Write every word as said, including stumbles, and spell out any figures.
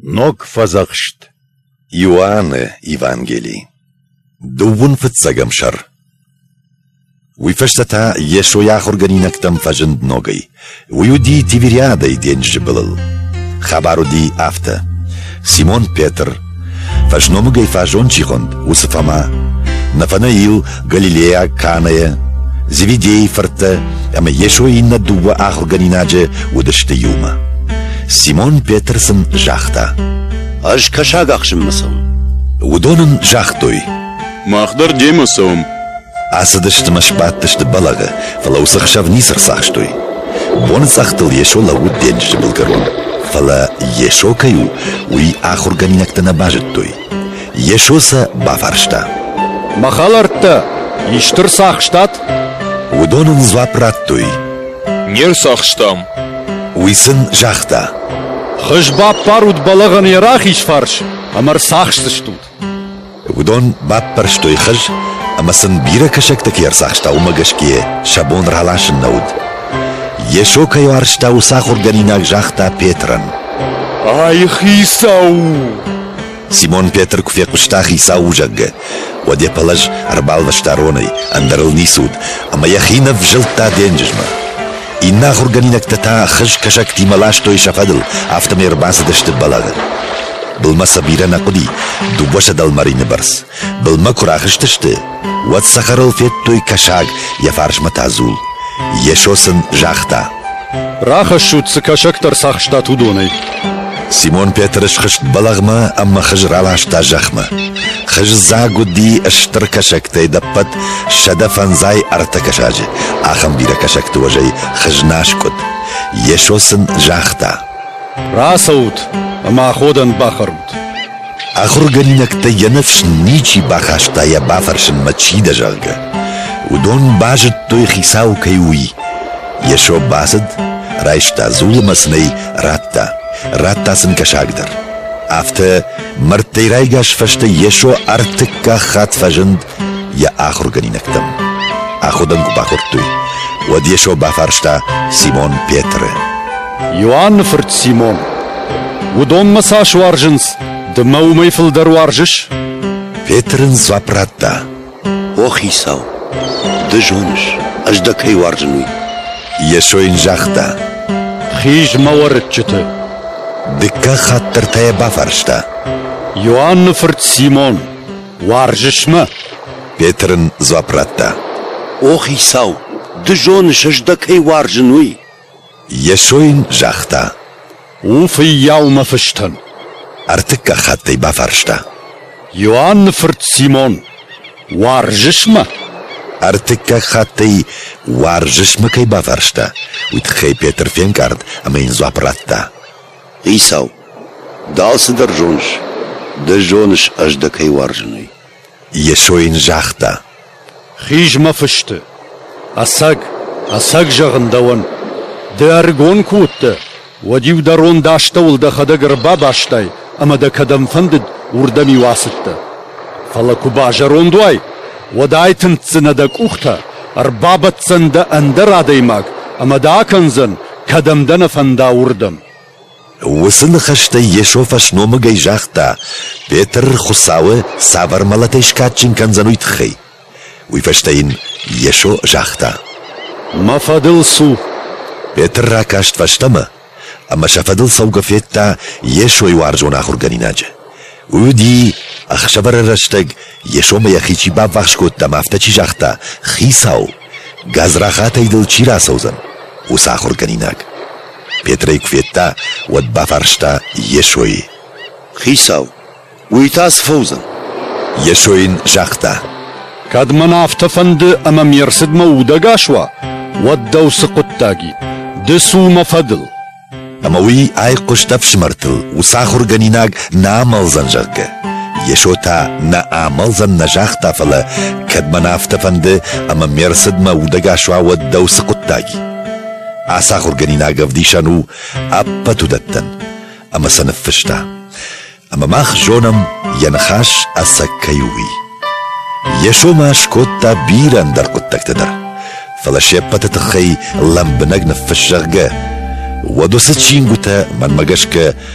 Ног Фӕдзӕхст. Иоанны Евангели. Дыууын фыццӕгӕм сӕр. Уый фӕстӕ та Йесо йӕ ахуыргӕнинӕгтӕм фӕзынд ногӕй. Уый уыди Тивериадӕйы денджызы былыл. Хабар уыди афтӕ. Симон Петр, фӕсномыгӕй фаззон чи хуынд, уыцы Фома, Нафанаил Галилейаг Канӕйӕ, Зеведейы фырттӕ ӕмӕ Йесойы иннӕ дыууӕ ахуыргӕнинаджы уыдысты иумӕ. Симон Петр сын загъта: «Ӕз кӕсаг ахсынмӕ цӕуын». Уыдон ын загътой: «Мах дӕр демӕ цӕуӕм». Ацыдысты мӕ сбадтысты бӕлӕгъы, фӕлӕ уыцы хсӕв ницы рцахстой. Боныцъӕхтыл Йесо лӕууыд денджызы былгӕрон, фӕлӕ Йесо кӕй у, уый ахуыргӕнинӕгтӕ нӕ базыдтой. Йесо сӕ бафарста: «Мӕ хӕлӕрттӕ, исты рцахстат?» Уыдон ын дзуапп радтой: «Не рцахстам». Уый сын загъта: «Хыз баппарут бӕлӕгъӕн йӕ рахиз фарс, ӕмӕ рцахсдзыстут». Уыдон баппӕрстой хыз, ӕмӕ сын бирӕ кӕсӕгтӕ кӕй ӕрцахста, уымӕ гӕсгӕ сӕ бон раласын нӕ уыд. Йесо кӕй уарзта, уыцы ахуыргӕнинаг загъта Петрӕн: «Ай Хицау у!» Симон Петр куы фехъуыста Хицау у, зӕгъгӕ, уӕд йӕ пӕлӕз ӕрбалвӕста ронӕй, ӕндӕр ыл ницы уыд, ӕмӕ йӕхи нывзылдта денджызмӕ. Иннӕ ахуыргӕнинӕгтӕ та хыз кӕсӕгтимӕ ластой сӕ фӕдыл, афтӕмӕй ӕрбацыдысты бӕлӕгъы. Былмӕ сӕ бирӕ нӕ хъуыди, дыууӕ дӕлмӕрины бӕрц. Былмӕ куы рахызтысты, уӕд цӕхӕрыл федтой кӕсаг, йӕ фарсмӕ та дзул. Йесо сын загъта: «Рахӕссут, цы кӕсӕгтӕ рцахстат, уыдонӕй». Симон Петр схызт бӕлӕгъмӕ ӕмӕ хыз раласта зӕхмӕ. Хыз дзаг уыди стыр кӕсӕгтӕй ӕдӕппӕт сӕдӕ фӕндзай ӕртӕ кӕсаджы. Ахӕм бирӕ кӕсӕгты уӕзӕй хыз нӕ аскъуыд. Йесо сын загъта: «Рацӕут ӕмӕ аходӕн бахӕрут». Ахуыргӕнинӕгтӕй йӕ ныфс ничи бахаста йӕ бафӕрсынмӕ, чи дӕ, зӕгъгӕ. Уыдон базыдтой, Хицау кӕй у, уый. Йесо бацыд, райста дзул ӕмӕ сын ӕй радта, радта сын кӕсаг дӕр. Афтӕ мӕрдтӕй райгас фӕстӕ Йесо ӕртыккаг хатт фӕзынд йӕ ахуыргӕнинӕгтӕм. Аходӕн куы бахордтой, уӕд Йесо бафарста Симон Петры: «Иоанны фырт Симон, уыдон мӕ цас уарзынц, ды мӕ уымӕй фылдӕр уарзыс?» Петр ын дзуапп радта: «О Хицау, ды зоныс, ӕз дӕ кӕй уарзын, уый». Йесо йын загъта: «Хиз мӕ уӕрыччыты». Дыккаг хатт дӕр та йӕ бафарста: «Иоанны фырт Симон, уарзыс мӕ?» Петр ын дзуапп радта: «О Хицау, ды зоныс, ӕз дӕ кӕй уарзын, уый». Йесо йын загъта: «У фыййау мӕ фыстӕн». Ӕртыккаг хатт ӕй бафарста: «Иоанны фырт Симон, уарзыс мӕ?» Ӕртыккаг хатт ӕй уарзыс мӕ кӕй бафарста, уый тыххӕй Петр фенкъард ӕмӕ йын дзуапп радта: «Хицау, ды алцыдӕр зоныс, ды зоныс, ӕз дӕ кӕй уарзын, уый». Йесо йын загъта: «Хиз мӕ фысты. Ӕцӕг, ӕцӕг зӕгъын дӕуӕн, ды ӕрыгон куы уыдтӕ, уӕд-иу дӕ рон дӕ астӕуыл дӕхӕдӕг ӕрбабастай ӕмӕ дӕ кӕдӕм фӕндыд, уырдӕм-иу ацыдтӕ. Фӕлӕ куы базӕронд уай, уӕд айтындздзынӕ дӕ къухтӕ, ӕрбабӕтдзӕн дӕ ӕндӕр адӕймаг ӕмӕ дӕ акӕндзӕн, кӕдӕм дӕ нӕ фӕнда, уырдӕм». Уыцы ныхӕстӕй Йесо фӕсномыгӕй загъта, Петр Хуыцауы цавӕр мӕлӕтӕй скадджын кӕндзӕн, уый тыххӕй. Уый фӕстӕ йын Йесо загъта: «Мӕ фӕдыл цу». Петр ракаст фӕстӕмӕ ӕмӕ сӕ фӕдыл цӕугӕ федта Йесойы уарзон ахуыргӕнинаджы. Уый уыди, ӕхсӕвӕры рӕстӕг Йесомӕ йӕхи чи баввахс кодта ӕмӕ афтӕ чи загъта: «Хицау, гадзрахатӕй дыл чи рацӕудзӕн?» уыцы ахуыргӕнинаг. Петр ӕй куы федта, уӕд бафарста Йесойы: «Хицау, уый та цы фӕуыдзӕн?» Йесо йын загъта: «Кӕд мӕн афтӕ фӕнды, ӕмӕ ме рцыдмӕ удӕгас уа, уӕд дӕу цы хъуыддаг и? Ды цу мӕ фӕдыл». Ӕмӕ уый айхъуыст ӕфсымӕртыл, уыцы ахуыргӕнинаг нӕ амӕлдзӕн, зӕгъгӕ. Йесо та нӕ амӕлдзӕн нӕ загъта, фӕлӕ кӕд мӕн афтӕ фӕнды, ӕмӕ ме рцыдмӕ удӕгас уа, уӕд дӕу цы хъуыддаг и? Ацы ахуыргӕнинаг ӕвдисӕн у ӕппӕт уыдӕттӕн, ӕмӕ сӕ ныффыста. Ӕмӕ мах зонӕм, йӕ ныхас ӕцӕг кӕй у, уый. Йесо ма скодта бирӕ ӕндӕр хъуыддӕгтӕ дӕр, фӕлӕ се ппӕты тыххӕй лӕмбынӕг ныффысс, зӕгъгӕ, уӕд уыцы чингуытӕ, мӕнмӕ гӕсгӕ,